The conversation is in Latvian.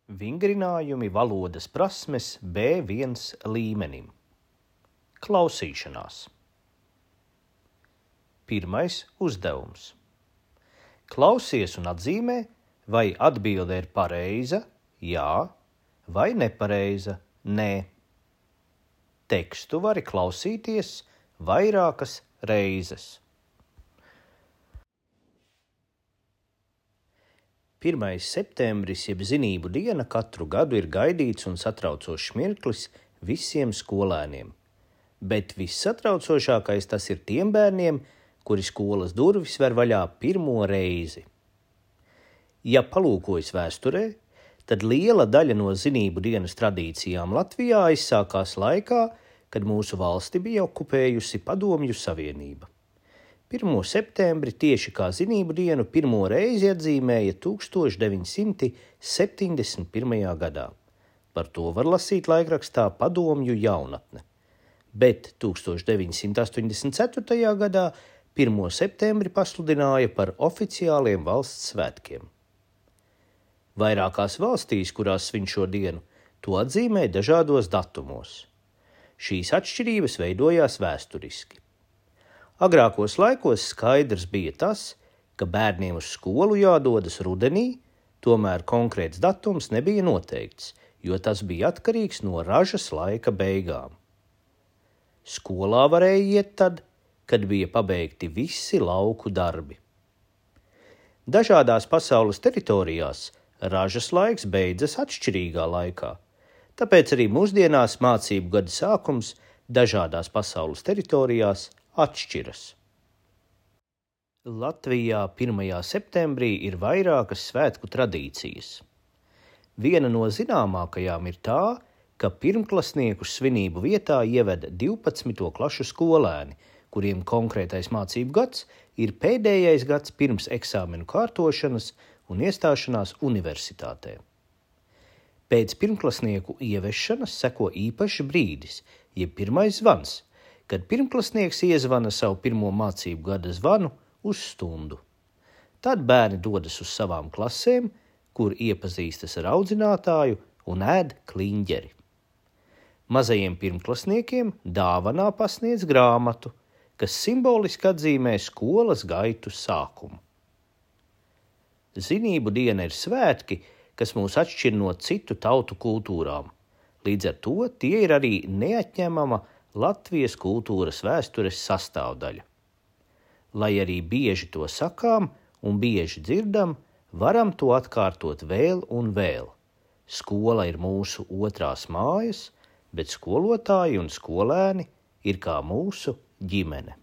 Vingrinājumi valodas prasmes B1 līmenim. Klausīšanās. Pirmais uzdevums. Klausies un atzīmē, vai atbilde ir pareiza, jā, vai nepareiza, nē. Tekstu vari klausīties vairākas reizes. 1. septembris, jeb zinību diena, katru gadu ir gaidīts un satraucošs mirklis visiem skolēniem. Bet vissatraucošākais tas ir tiem bērniem, kuri skolas durvis ver vaļā pirmo reizi. Ja palūkojas vēsturē, tad liela daļa no zinību dienas tradīcijām Latvijā aizsākās laikā, kad mūsu valsti bija okupējusi Padomju Savienība. 1. septembri tieši kā zinību dienu pirmo reizi atzīmēja 1971. gadā. Par to var lasīt laikrakstā Padomju jaunatne. Bet 1984. gadā 1. septembri pasludināja par oficiāliem valsts svētkiem. Vairākās valstīs, kurās svin šo dienu, to atzīmē dažādos datumos. Šīs atšķirības veidojās vēsturiski. Agrākos laikos skaidrs bija tas, ka bērniem uz skolu jādodas rudenī, tomēr konkrēts datums nebija noteikts, jo tas bija atkarīgs no ražas laika beigām. Skolā varēja iet tad, kad bija pabeigti visi lauku darbi. Dažādās pasaules teritorijās ražas laiks beidzas atšķirīgā laikā, tāpēc arī mūsdienās mācību gada sākums dažādās pasaules teritorijās atšķiras. Latvijā 1. septembrī ir vairākas svētku tradīcijas. Viena no zināmākajām ir tā, ka pirmklasniekus svinību vietā ieved 12. klašu skolēni, kuriem konkrētais mācību gads ir pēdējais gads pirms eksāmenu kārtošanas un iestāšanās universitātē. Pēc pirmklasnieku ieviešanas seko īpašs brīdis, jeb pirmais zvans, kad pirmklasnieks iezvana savu pirmo mācību gada zvanu uz stundu. Tad bērni dodas uz savām klasēm, kur iepazīstas ar audzinātāju un ēd kliņģeri. Mazajiem pirmklasniekiem dāvanā pasniedz grāmatu, kas simboliski atzīmē skolas gaitu sākumu. Zinību diena ir svētki, kas mūs atšķir no citu tautu kultūrām. Līdz ar to tie ir arī neatņemama Latvijas kultūras vēstures sastāvdaļa. Lai arī bieži to sakām un bieži dzirdam, varam to atkārtot vēl un vēl. Skola ir mūsu otrās mājas, bet skolotāji un skolēni ir kā mūsu ģimene.